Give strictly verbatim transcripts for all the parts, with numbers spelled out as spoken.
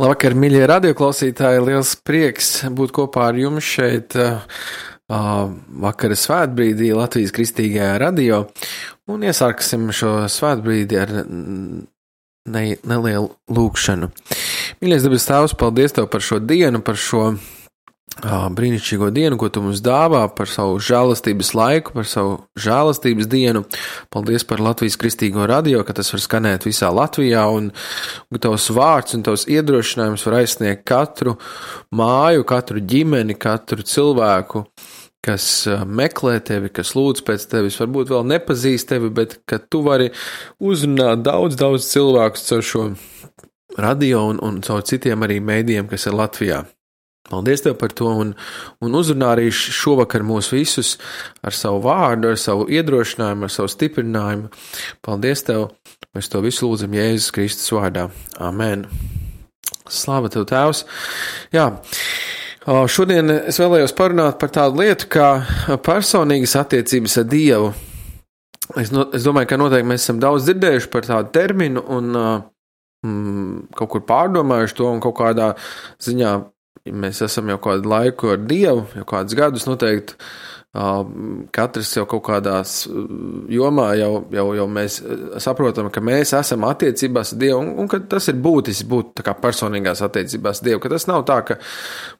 Labvakar, mīļie radioklausītāji, liels prieks būt kopā ar jums šeit uh, vakara svētbrīdī Latvijas Kristīgajā radio, un iesāksim šo svētbrīdi ar ne, nelielu lūkšanu. Mīļais debes Tēvs, paldies Tev par šo dienu, par šo brīnišķīgo dienu, ko Tu mums dāvā, par savu žēlastības laiku, par savu žēlastības dienu. Paldies par Latvijas Kristīgo radio, ka tas var skanēt visā Latvijā, un Tavs vārds un Tavs iedrošinājums var aizsniegt katru māju, katru ģimeni, katru cilvēku, kas meklē Tevi, kas lūdz pēc Tevis, varbūt vēl nepazīst Tevi, bet ka Tu vari uzrunāt daudz, daudz cilvēkus caur šo radio un, un caur citiem arī mēdījiem, kas ir Latvijā. Paldies Tev par to un, un uzrunā arī šovakar mūs visus ar savu vārdu, ar savu iedrošinājumu, ar savu stiprinājumu. Paldies Tev, mēs to visu lūdzam Jēzus Kristus vārdā. Amen. Slāva Tev, Tēvs. Jā, šodien es vēlējos parunāt par tādu lietu kā personīgas attiecības ar Dievu. Es, no, es domāju, ka noteikti mēs esam daudz dzirdējuši par tādu terminu un mm, kaut kur pārdomājuši to un kaut kādā ziņā mēs esam jau kādu laiku ar Dievu, jau kādus gadus noteikti, uh, katrs jau kaut kādās jomā jau, jau, jau mēs saprotam, ka mēs esam attiecībās ar Dievu un, un ka tas ir būtiski būt tā kā personīgās attiecībās ar Dievu, ka tas nav tā, ka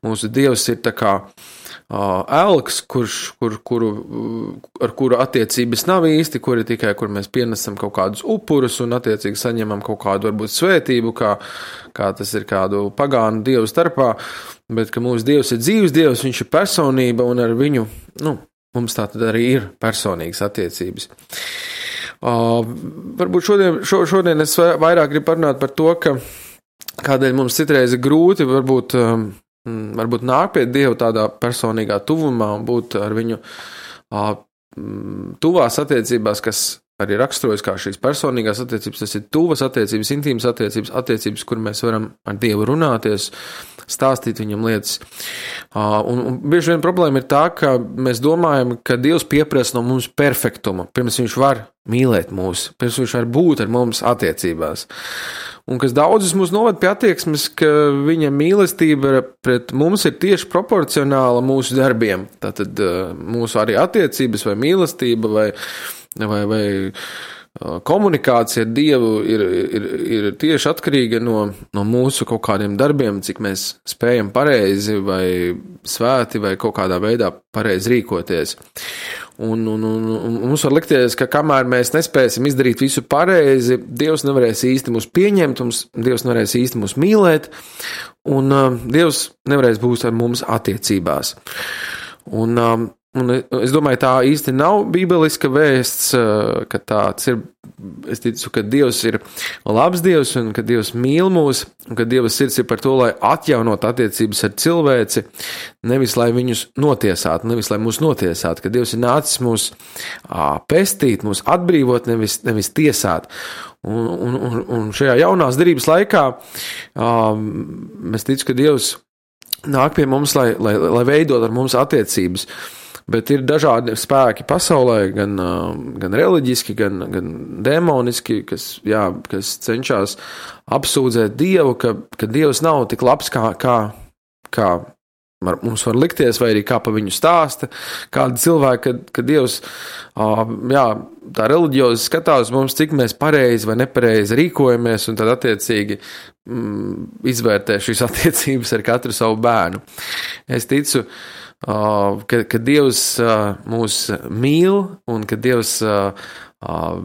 mūsu Dievs ir tā kā uh, elks, kurš, kur, kuru, ar kuru attiecības nav īsti, kuri tikai, kur mēs pienesam kaut kādus upurus un attiecīgi saņemam kaut kādu varbūt svētību, kā, kā tas ir kādu pagānu Dievu starpā, bet ka mūsu Dievs ir dzīves Dievs, viņš ir personība un ar viņu, nu, mums tā tad arī ir personīgas attiecības. Uh, varbūt šodien, šo, šodien es vairāk gribu parunāt par to, ka kādēļ mums citreiz ir grūti varbūt, um, varbūt nāk pie Dievu tādā personīgā tuvumā un būt ar viņu uh, tuvās attiecībās, kas arī raksturojas kā šīs personīgās attiecības, tas ir tuvas attiecības, intīmas attiecības, attiecības, kur mēs varam ar Dievu runāties, stāstīt viņam lietas. Un, un bieži vien problēma ir tā, ka mēs domājam, ka Dievs pieprasa no mums perfektumu, pirms viņš var mīlēt mūs, pirms viņš var būt ar mums attiecībās. Un kas daudzus mūs novad pie attieksmes, ka viņa mīlestība pret mums ir tieši proporcionāla mūsu darbiem. Tātad mūsu arī attiecības vai mīlestība vai vai, vai komunikācija ar Dievu ir, ir, ir tieši atkarīga no, no mūsu kaut kādiem darbiem, cik mēs spējam pareizi vai svēti vai kaut kādā veidā pareizi rīkoties. Un, un, un, un mums var likties, ka kamēr mēs nespēsim izdarīt visu pareizi, Dievs nevarēs īsti mūs pieņemt, mums, Dievs nevarēs īsti mūs mīlēt, un uh, Dievs nevarēs būt ar mums attiecībās. Un uh, Un es domāju, tā īsti nav bībeliska vēsts, ka tāds ir, es ticu, ka Dievs ir labs Dievs un ka Dievs mīl mūs un ka Dieva sirds ir par to, lai atjaunot attiecības ar cilvēci, nevis lai viņus notiesātu, nevis lai mūs notiesātu, ka Dievs ir nācis mūs pestīt, mūs atbrīvot, nevis, nevis tiesāt. Un, un, un, un šajā jaunās derības laikā es ticu, ka Dievs nāk pie mums, lai, lai, lai veidot ar mums attiecības. Bet ir dažādi spēki pasaulē, gan, gan reliģiski, gan, gan demoniski, kas, jā, kas cenšas apsūdzēt Dievu, ka, ka Dievs nav tik labs, kā, kā, kā mums var likties, vai arī kā pa viņu stāsta. Kādi cilvēki, kad, kad Dievs jā, tā reliģiozi skatās mums, cik mēs pareizi vai nepareizi rīkojamies, un tad attiecīgi mm, izvērtē šīs attiecības ar katru savu bērnu. Es ticu, Uh, ka, ka Dievs uh, mūs mīl un ka Dievs uh, uh,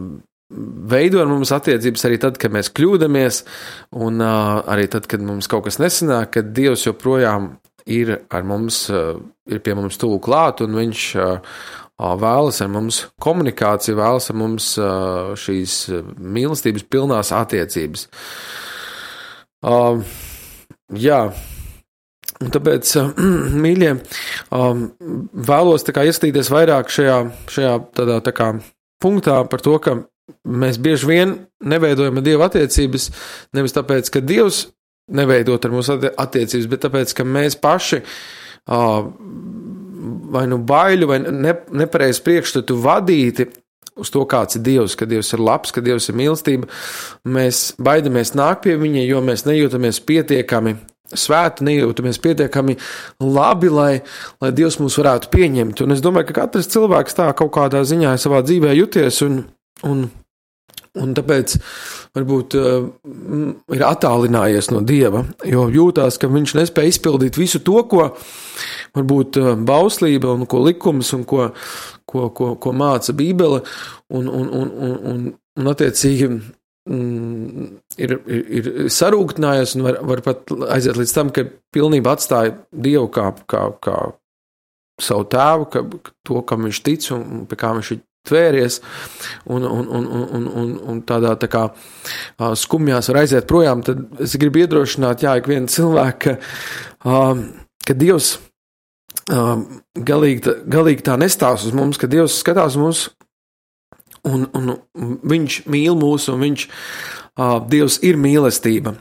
veido ar mums attiecības arī tad, kad mēs kļūdamies un uh, arī tad, kad mums kaut kas nesanāk, kad Dievs joprojām ir ar mums, uh, ir pie mums tuvu klāt un viņš uh, vēlas ar mums komunikāciju, vēlas ar mums uh, šīs mīlestības pilnās attiecības. Uh, jā. Un tāpēc, mīļie, vēlos tā kā ieskatīties vairāk šajā, šajā tādā tā kā punktā par to, ka mēs bieži vien neveidojam ar Dievu attiecības, nevis tāpēc, ka Dievs neveidot ar mūsu attiecības, bet tāpēc, ka mēs paši vai nu baiļu vai ne, nepareiz priekšstatu vadīti uz to, kāds ir Dievs, ka Dievs ir labs, ka Dievs ir mīlestība, mēs baidamies nākt pie viņa, jo mēs nejūtamies pietiekami svēti, nejūtamies pietiekami labi, lai, lai Dievs mūs varētu pieņemt. Un es domāju, ka katrs cilvēks tā kaut kādā ziņā savā dzīvē juties, un, un, un tāpēc varbūt uh, ir attālinājies no Dieva, jo jūtās, ka viņš nespēja izpildīt visu to, ko varbūt uh, bauslība un ko likums un ko, ko, ko, ko māca Bībele, un, un, un, un, un, un attiecīgi mm, ir, ir, ir sarūktinājies un var, var pat aiziet līdz tam, ka pilnībā atstāja Dievu kā, kā, kā savu tēvu, ka, to, kam viņš tic un pie kā viņš ir tvēries, un, un, un, un, un, un tādā tā kā skumjās var aiziet projām, tad es gribu iedrošināt, jā, ikvienu cilvēku, ka, ka Dievs galīgi, tā, galīgi tā nestās uz mums, ka Dievs skatās uz mums, un, un viņš mīl mūs, un viņš, Dievs ir mīlestība.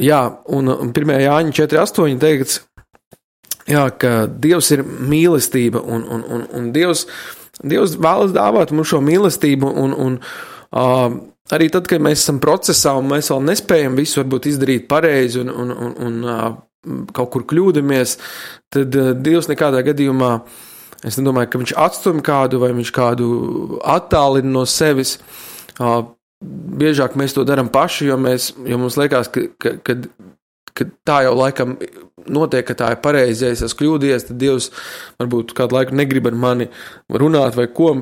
Jā, un pirmajā Jāņa četri astoņi teikts, jā, ka Dievs ir mīlestība, un, un, un, un Dievs Dievs vēlas dāvāt mums šo mīlestību, un, un uh, arī tad, kad mēs esam procesā un mēs vēl nespējam visu varbūt izdarīt pareizi un, un, un, un uh, kaut kur kļūdamies, tad uh, Dievs nekādā gadījumā, es nedomāju, ka viņš atstumj kādu vai viņš kādu attālina no sevis. Uh, biežāk mēs to daram paši, jo, mēs, jo mums liekas, ka, ka, ka, ka tā jau laikam notiek, ka tā ir pareizi, ja es esmu kļūdījies, tad Dievs varbūt kādu laiku negrib ar mani runāt vai ko,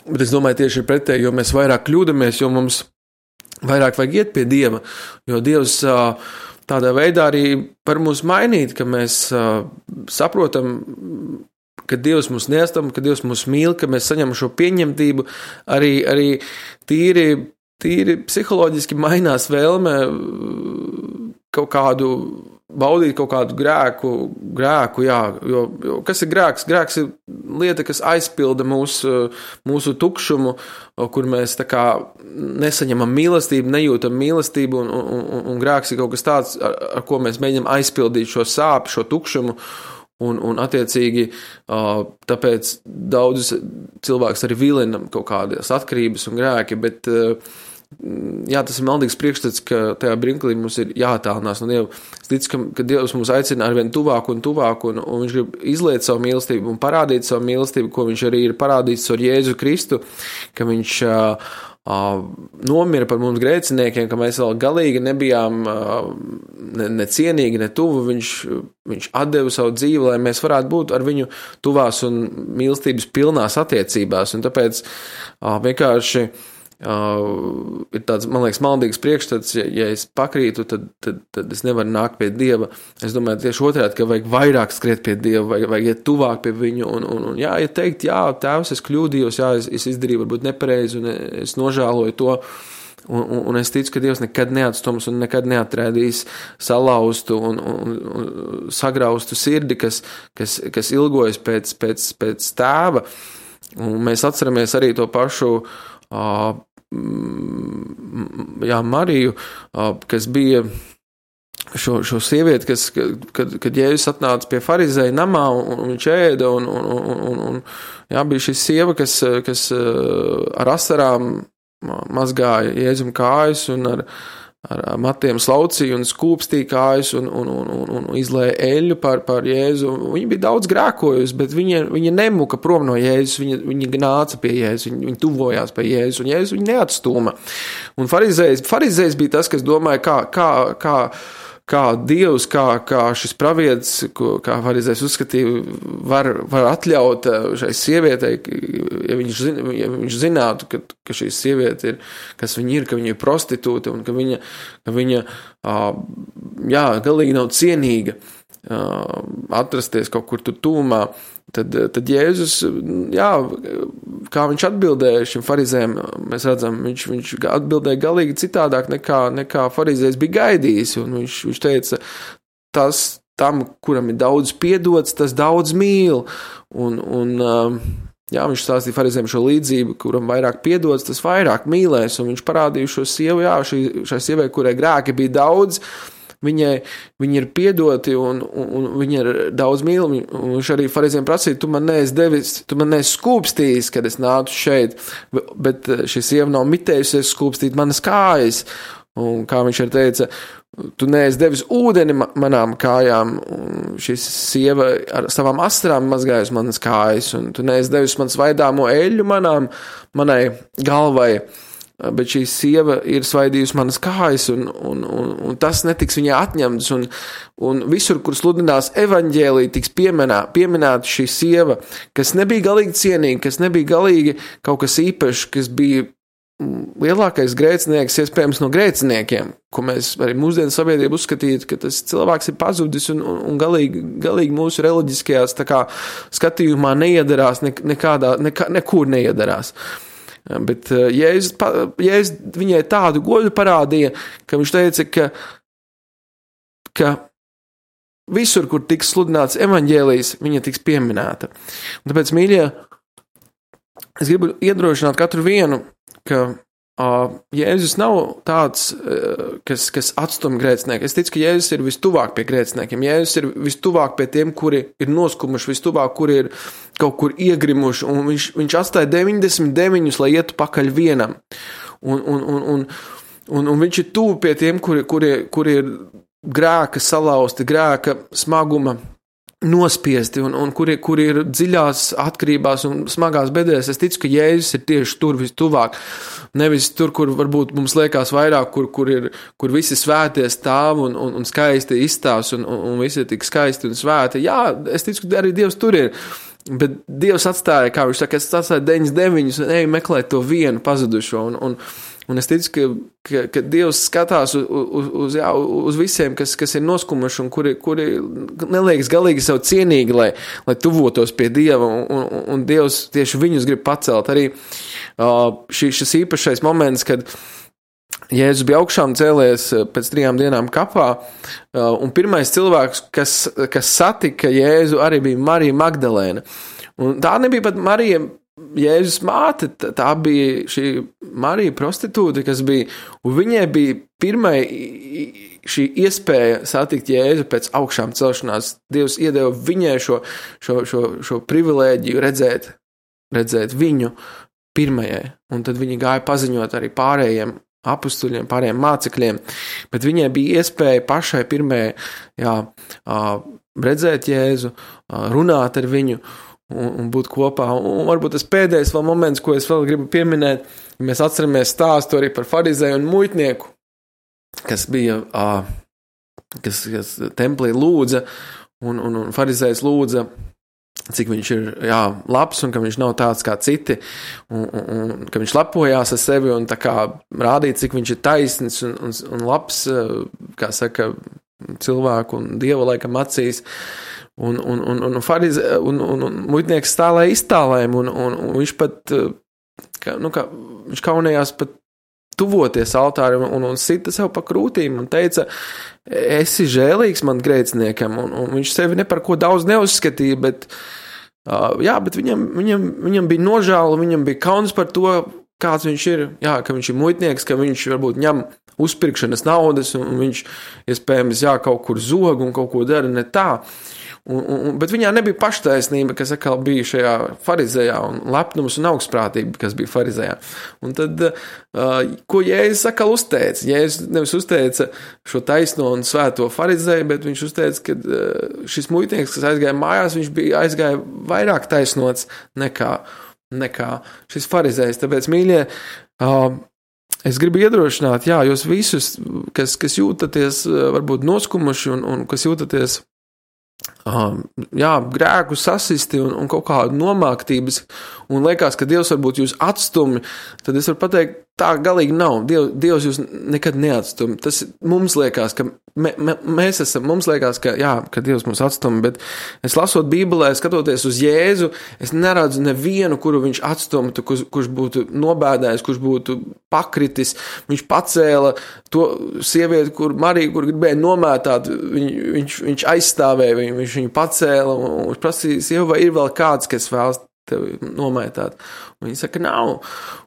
bet es domāju tieši ir pretēji, jo mēs vairāk kļūdamies, jo mums vairāk vajag iet pie Dieva, jo Dievs tādā veidā arī var mūs mainīt, ka mēs saprotam, ka Dievs mūs neatstāj, ka Dievs mūs mīl, ka mēs saņemam šo pieņemtību, arī, arī tīri, tīri psiholoģiski mainās vēlme kaut kādu baudīt kaut kādu grēku, grēku, jā, jo, jo kas ir grēks? Grēks ir lieta, kas aizpilda mūsu, mūsu tukšumu, kur mēs tā kā nesaņemam mīlestību, nejūtam mīlestību, un, un, un, un grēks ir kaut kas tāds, ar, ar ko mēs mēģinam aizpildīt šo sāpi, šo tukšumu, un, un attiecīgi tāpēc daudzus cilvēkus arī vilina kaut kādas atkarības un grēki, bet jā, tas ir maldīgs priekšstats, ka tajā brinklī mums ir jāattālinās no Dieva. Es ticu, ka, ka Dievs mums aicina arvien tuvāk un tuvāk, un, un viņš grib izliet savu mīlestību un parādīt savu mīlestību, ko viņš arī ir parādījis ar Jēzu Kristu, ka viņš uh, uh, nomira par mums grēciniekiem, ka mēs vēl galīgi nebijām uh, ne, ne cienīgi, ne tuvu. Viņš, viņš atdeva savu dzīvi, lai mēs varētu būt ar viņu tuvās un mīlestības pilnās attiecībās, un tāpēc uh, vienkārši Uh, ir tāds, man liekas, maldīgs priekšstats, ja, ja es pakrītu, tad, tad, tad es nevaru nākt pie Dieva. Es domāju tieši otrādi, ka vajag vairāk skriet pie Dieva, vajag, vajag iet tuvāk pie viņu, un, un, un jā, ja teikt, jā, tēvs, es kļūdījos, jā, es, es izdarīju varbūt nepareizi, un es nožēloju to, un, un, un es ticu, ka Dievs nekad neatstums un nekad neatrēdīs salauztu un, un, un sagraustu sirdi, kas, kas, kas ilgojas pēc, pēc, pēc tēva, un mēs atceramies arī to pašu Uh, jā, Mariju, uh, kas bija šo, šo sievieti, kas, kad, kad Jēzus atnāca pie farizēja namā un, un viņš ēda, un, un, un, un jā, bija šī sieva, kas, kas uh, ar asarām mazgāja Jēzum kājas un ar, ar matiem slaucīja un skūpstīja kājas un, un, un, un, un izlēja eļļu par, par Jēzu. Viņa bija daudz grēkojusi, bet viņa, viņa nemuka prom no Jēzus, viņa, viņa nāca pie Jēzus, viņa, viņa tuvojās pie Jēzus, un Jēzus viņa neatstūma. Un farizējs, farizējs bija tas, kas domāja, kā, kā, kā, kā Dievs, kā, kā šis pravietis, ko, kā farizējs uzskatīja, var, var atļaut šai sievietei, ja viņš, zin, ja viņš zinātu, ka, ka šī sieviete ir, kas viņa ir, ka viņa ir prostitūte un ka viņa, ka viņa jā, galīgi nav cienīga atrasties kaut kur tur tūmā, tad, tad Jēzus, jā, kā viņš atbildēja šim farizējiem, mēs redzam, viņš, viņš atbildēja galīgi citādāk nekā, nekā farizējs bija gaidījis, un viņš, viņš teica, tas tam, kuram ir daudz piedots, tas daudz mīl, un, un jā, viņš stāstīja farizējiem šo līdzību, kuram vairāk piedots, tas vairāk mīlēs, un viņš parādīja šo sievu, jā, šī, šai sievai, kurai grēki bija daudz, viņai, viņi ir piedoti un, un, un viņi ir daudz mīlami. Un viņš arī farizējiem prasīja, tu man neesi devis, tu man neesi skūpstījis, kad es nācu šeit, bet šī sieva nav mitējusies skūpstīt manas kājas. Un kā viņš arī teica, tu neesi devis ūdeni manām kājām, un šis sieva ar savām astrām mazgājas manas kājas, un tu neesi devis man svaidāmo eļļu manām, manai galvai, bet šī sieva ir svaidījusi manas kājas, un, un, un, un tas netiks viņai atņemts, un, un visur, kur sludinās evaņģēlī, tiks pieminā, pieminēta šī sieva, kas nebija galīgi cienīga, kas nebija galīgi kaut kas īpašs, kas bija lielākais grēcinieks, iespējams, no grēciniekiem, ko mēs arī mūsdienu sabiedrību uzskatītu, ka tas cilvēks ir pazudis un, un, un galīgi, galīgi mūsu reliģiskajās tā kā skatījumā neiedarās, ne, nekādā, nekā, nekur neiedarās. Bet Jēzus, Jēzus viņai tādu godu parādīja, ka viņš teica, ka, ka visur, kur tiks sludināts evaņģēlijs, viņa tiks pieminēta. Un tāpēc, mīļie, es gribu iedrošināt katru vienu, ka uh, Jēzus nav tāds, uh, kas, kas atstum grēcinieku. Es ticu, ka Jēzus ir vistuvāk pie grēciniekiem. Jēzus ir vistuvāk pie tiem, kuri ir noskumuši, vistuvāk, kuri ir kaut kur iegrimuši, un viņš, viņš atstāja deviņdesmit deviņus, lai ietu pakaļ vienam. Un, un, un, un, un, un viņš ir tuvu pie tiem, kuri, kuri, kuri ir grēka salauzti, grēka smaguma nospiesti un, un kuri, kuri ir dziļās atkarībās un smagās bedrēs. Es ticu, ka Jēzus ir tieši tur vistuvāk. Nevis tur, kur varbūt mums liekas vairāk, kur, kur, ir, kur visi svētie stāv un, un, un skaisti izstāvs un, un, un visi ir tik skaisti un svēti. Jā, es ticu, ka arī Dievs tur ir. Bet Dievs atstāja, kā viņš saka, es atstāju deviņdesmit deviņus un eju meklēt to vienu pazudušo. Un, un, un es ticu, ka, ka, ka Dievs skatās uz, uz, uz, jā, uz visiem, kas, kas ir noskumuši un kuri, kuri neliekas galīgi sev cienīgi, lai, lai tuvotos pie Dieva. Un, un, un Dievs tieši viņus grib pacelt. Arī uh, šī, šis īpašais moments, kad Jēzus bija augšām cēlies pēc trijām dienām kapā, un pirmais cilvēks, kas, kas satika Jēzu, arī bija Marija Magdalēna. Un tā nebija pat Marija, Jēzus māte, tā bija šī Marija prostitūte, kas bija, un viņai bija pirmai šī iespēja satikt Jēzu pēc augšām celšanās. Dievs iedeva viņai šo, šo, šo, šo privilēģiju redzēt, redzēt viņu pirmajai, un tad viņi gāja paziņot arī pārējiem apustuļiem, pārējiem mācekļiem, bet viņai bija iespēja pašai pirmajai, jā, redzēt Jēzu, runāt ar viņu un, un būt kopā. Un varbūt tas pēdējais vēl moments, ko es vēl gribu pieminēt, ja mēs atceramies stāstu arī par farizēju un muitnieku, kas bija, kas, kas templī lūdza, un, un, un farizējs lūdza, cik viņš ir, jā, labs un ka viņš nav tāds kā citi un, un, un ka viņš lepojās ar sevi un tā kā rādīt, cik viņš ir taisns un, un, un labs, kā saka, cilvēku un Dieva laikam acīs. Un, un, un, un, farize, un, un, un muitnieks stālēja iztālēm un, un, un viņš pat, kā, nu kā, viņš kaunējās pat tuvoties altārim un, un sita sev pa krūtīm un teica, esi žēlīgs man grēciniekam, un, un viņš sevi ne par ko daudz neuzskatīja, bet, uh, jā, bet viņam, viņam, viņam bija nožēla, viņam bija kauns par to, kāds viņš ir, jā, ka viņš ir muitnieks, ka viņš varbūt ņem uzpirkšanas naudas, un viņš, iespējams, jā, kaut kur zog un kaut ko dara ne tā. Un, un, bet viņā nebija paštaisnība, kas atkal bija šajā farizējā, un lepnums un augstprātība, kas bija farizējā. Un tad, uh, ko Jēzus atkal uzteica? Jēzus nevis uzteica šo taisno un svēto farizēju, bet viņš uzteica, ka uh, šis muitnieks, kas aizgāja mājās, viņš bija aizgāja vairāk taisnots nekā, nekā šis farizējs. Tāpēc, mīļie, uh, es gribu iedrošināt, jā, jūs visus, kas, kas jūtaties uh, varbūt noskumuši un, un kas jūtaties Um, jā, grēku sasisti un, un kaut kādu nomāktības un liekas, ka Dievs varbūt jūs atstumi, tad es varu pateikt, tā galīgi nav. Diev, Dievs jūs nekad neatstumi. Tas mums liekas, ka me, me, mēs esam, mums liekas, ka jā, ka Dievs mūs atstumi, bet es lasot Bībelē, skatoties uz Jēzu, es neredzu nevienu, kuru viņš atstumtu, kurš, kurš būtu nobēdājis, kurš būtu pakritis. Viņš pacēla to sievieti, kur Mariju, kur gribēja nomētāt, viņ, viņš, viņš aizstāvēja viņu, viņš viņu pacēla un viņš prasīja, sieva, vai ir vēl kāds, kas vēlas tevi nomētāt. Un viņi saka, nav.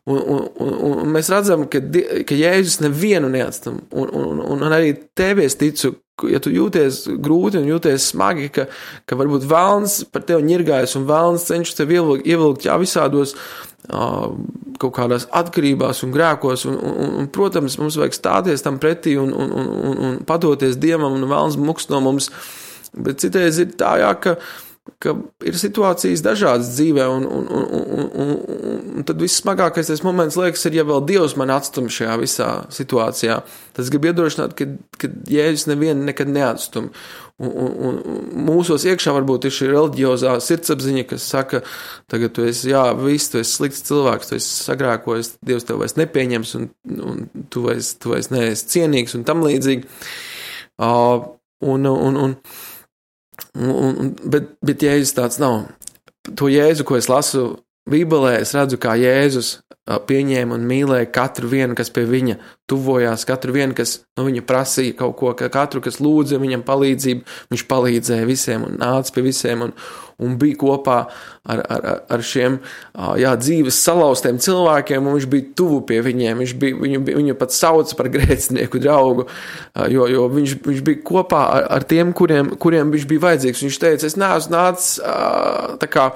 Un, un, un, un mēs redzam, ka, ka Jēzus nevienu neatstam. Un, un, un arī tevi es ticu, ja tu jūties grūti un jūties smagi, ka, ka varbūt vēlns par tevi ņirgājas un vēlns cenšas tevi ievilkt, ievilkt jā, visādos uh, kaut kādās atkarībās un grēkos, un, un, un, protams, mums vajag stāties tam pretī un, un, un, un, un padoties Dievam un vēlns muks no mums, bet citreiz ir tā, jā, ka ka ir situācijas dažādas dzīvē, un, un, un, un, un, un tad viss smagākais tas moments liekas ir, ja vēl Dievs mani atstum šajā visā situācijā. Tas grib iedrošināt, ka, ka Jēzus nevienu nekad neatstum. Un, un, un mūsos iekšā varbūt ir šī reliģiozā sirdsapziņa, kas saka, tagad tu esi, jā, viss, tu esi slikts cilvēks, tu esi sagrēkojis, Dievs tev vairs nepieņems, un, un tu vairs, tu vairs neesi cienīgs, un tam līdzīgi. Uh, un, un, un Un, un, bet, bet Jēzus tāds nav. To Jēzu, ko es lasu Bībelē, es redzu, kā Jēzus pieņēma un mīlēja katru vienu, kas pie viņa tuvojās, katru vienu, kas no viņa prasīja kaut ko, katru, kas lūdza viņam palīdzību, viņš palīdzēja visiem un nāca pie visiem un, un bija kopā ar, ar, ar šiem jā, dzīves salauztiem cilvēkiem, un viņš bija tuvu pie viņiem, viņš bija, viņu, viņu pat sauca par grēcinieku draugu, jo, jo viņš, viņš bija kopā ar, ar tiem, kuriem, kuriem viņš bija vajadzīgs. Viņš teica, es neesmu nācis tā kā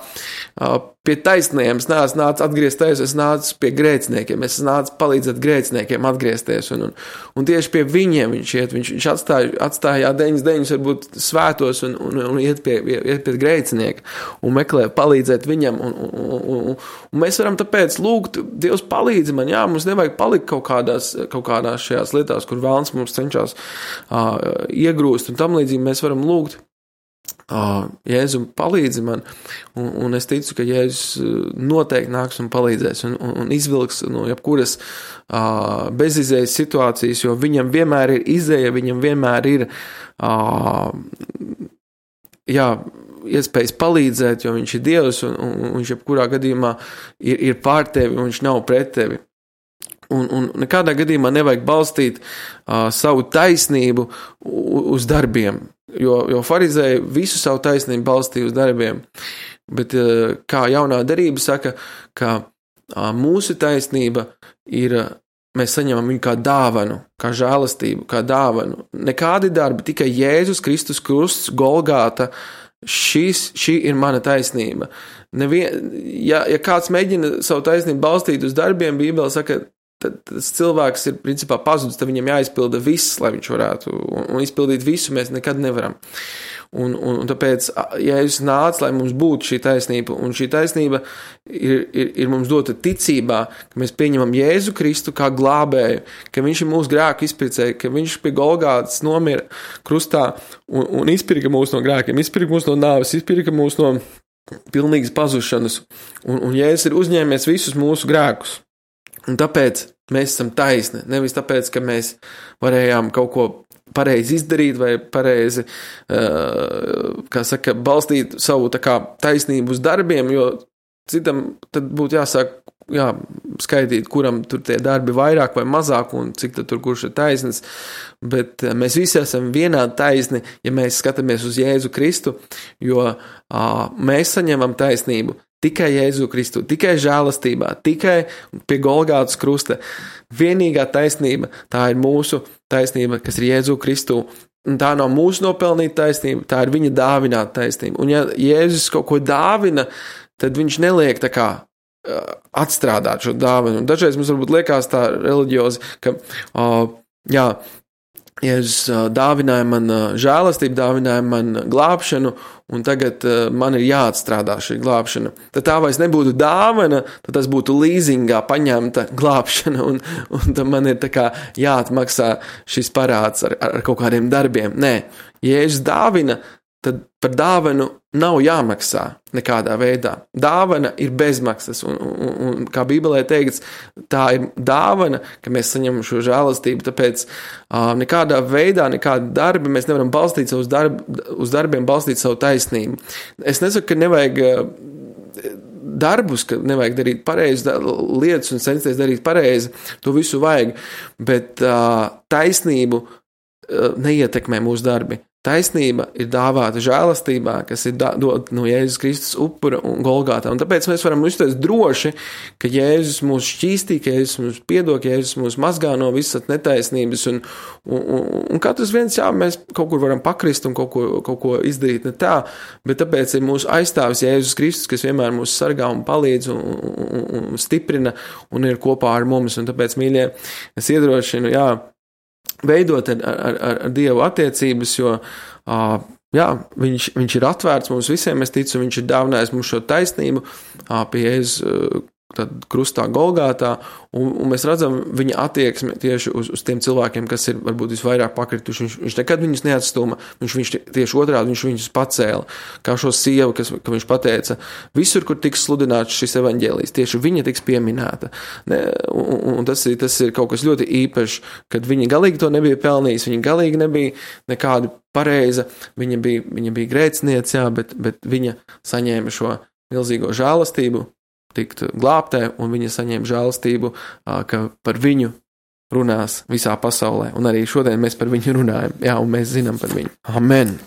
pie taisniem, es neesmu nācis atgriezt taisnību, es nācu pie grēciniekiem, es nācu palīdzēt grēciniekiem atgriezties, un, un, un tieši pie viņiem viņš iet, viņš, viņš atstāja, atstāja deviņas deviņas varbūt svētos un, un, un iet pie, iet pie grēcinieka un meklē palīdzēt viņam, un, un, un, un, un mēs varam tāpēc lūgt, Dievs palīdzi man, jā, mums nevajag palikt kaut kādās, kaut kādās šajās lietās, kur vēlns mums cenšas uh, iegrūst, un tam līdzīgi mēs varam lūgt, Uh, Jēzu palīdzi man, un, un es ticu, ka Jēzus noteikti nāks un palīdzēs un, un, un izvilks no jebkuras uh, bezizējas situācijas, jo viņam vienmēr ir izēja, viņam vienmēr ir uh, jā, iespējas palīdzēt, jo viņš ir Dievs, un, un, un viņš jebkurā gadījumā ir, ir pār tevi, un viņš nav pret tevi. Un, un nekādā gadījumā nevajag balstīt uh, savu taisnību uz darbiem, jo, jo farizēji visu savu taisnību balstīja uz darbiem, bet uh, kā jaunā darība saka, ka uh, mūsu taisnība ir, uh, mēs saņemam viņu kā dāvanu, kā žēlastību, kā dāvanu. Nekādi darbi, tikai Jēzus Kristus krusts, Golgāta, šis, šī ir mana taisnība. Nevien, ja, ja kāds mēģina savu taisnību balstīt uz darbiem, Bībele saka, tad tas cilvēks ir principā pazudis, tad viņam jāizpilda viss, lai viņš varētu, un, un izpildīt visu mēs nekad nevaram. Un, un, un tāpēc Jēzus nāca, lai mums būtu šī taisnība, un šī taisnība ir, ir, ir mums dota ticībā, ka mēs pieņemam Jēzu Kristu kā glābēju, ka viņš ir mūsu grēku izpircēja, ka viņš pie Golgātas nomira krustā un, un izpirka mūs no grēkiem, izpirka mūs no nāves, izpirka mūs no pilnīgas pazušanas, un, un Jēzus ir uzņēmies visus mūsu grēkus. Un tāpēc mēs esam taisni, nevis tāpēc, ka mēs varējām kaut ko pareizi izdarīt vai pareizi, uh, kā saka, balstīt savu tā kā taisnību uz darbiem, jo citam tad būtu jāsāk, jā, skaidīt, kuram tur tie darbi vairāk vai mazāk un cik tad tur kurš ir taisnis, bet mēs visi esam vienādi taisni, ja mēs skatāmies uz Jēzu Kristu, jo uh, mēs saņemam taisnību tikai Jēzu Kristu, tikai žēlastībā, tikai pie Golgātas krusta. Vienīgā taisnība, tā ir mūsu taisnība, kas ir Jēzu Kristu. Un tā nav mūsu nopelnīta taisnība, tā ir viņa dāvināta taisnība. Un ja Jēzus kaut ko dāvina, tad viņš neliek tā kā atstrādāt šo dāvinu. Un dažreiz mums varbūt liekas tā reliģiozi, ka, uh, jā, Jēzus dāvināja man žēlastību, dāvināja man glābšanu, un tagad man ir jāatstrādā šī glābšana. Tad tā vairs nebūtu dāvana, tad tas būtu līzingā paņemta glābšana, un, un tad man ir tā kā jāatmaksā šis parāds ar, ar kaut kādiem darbiem. Nē, Jēzus dāvina, tad par dāvanu nav jāmaksā nekādā veidā. Dāvana ir bezmaksas, un, un, un kā Bībelē teikts, tā ir dāvana, ka mēs saņemam šo žēlastību, tāpēc uh, nekādā veidā, nekāda darbi, mēs nevaram balstīt savus darb, uz darbiem, balstīt savu taisnību. Es nesaku, ka nevajag uh, darbus, ka nevajag darīt pareizi lietas un censties darīt pareizi, to visu vajag, bet uh, taisnību uh, neietekmē mūsu darbi. taisnība ir dāvāta žēlastībā, kas ir dota no Jēzus Kristus upura un Golgātā. Un tāpēc mēs varam uzstāties droši, ka Jēzus mūs šķīstī, ka Jēzus mūs piedod, ka Jēzus mūs mazgā no visas netaisnības. Un, un, un, un katrs viens, jā, mēs kaut kur varam pakrist un kaut ko, kaut ko izdarīt ne tā, bet tāpēc ir mūsu aizstāvis Jēzus Kristus, kas vienmēr mūs sargā un palīdz un, un, un stiprina un ir kopā ar mums. Un tāpēc, mīļie, es iedrošinu, jā, veidot ar, ar, ar, ar Dievu attiecības, jo uh, jā, viņš, viņš ir atvērts mums visiem, es ticu, viņš ir dāvinājis mums šo taisnību uh, pie Jēzus uh, tad krustā Golgātā, un, un mēs redzam viņa attieksmi tieši uz, uz tiem cilvēkiem, kas ir varbūt visvairāk pakrituši. Viņš, viņš nekad viņus neatstuma, viņš, viņš tieši otrādi, viņš viņus pacēla. Kā šo sievu, kas, ka viņš pateica, visur, kur tiks sludināts šis evaņģēlijs, tieši viņa tiks pieminēta. Ne, un, un tas ir, tas ir kaut kas ļoti īpašs, kad viņa galīgi to nebija pelnījis, viņa galīgi nebija nekāda pareiza, viņa bija, viņa bija grēciniece, jā, bet, bet viņa saņēma šo milzīgo žēlastību, tikt glābtē, un viņa saņēma žēlastību, ka par viņu runās visā pasaulē. Un arī šodien mēs par viņu runājam. Jā, un mēs zinām par viņu. Amen.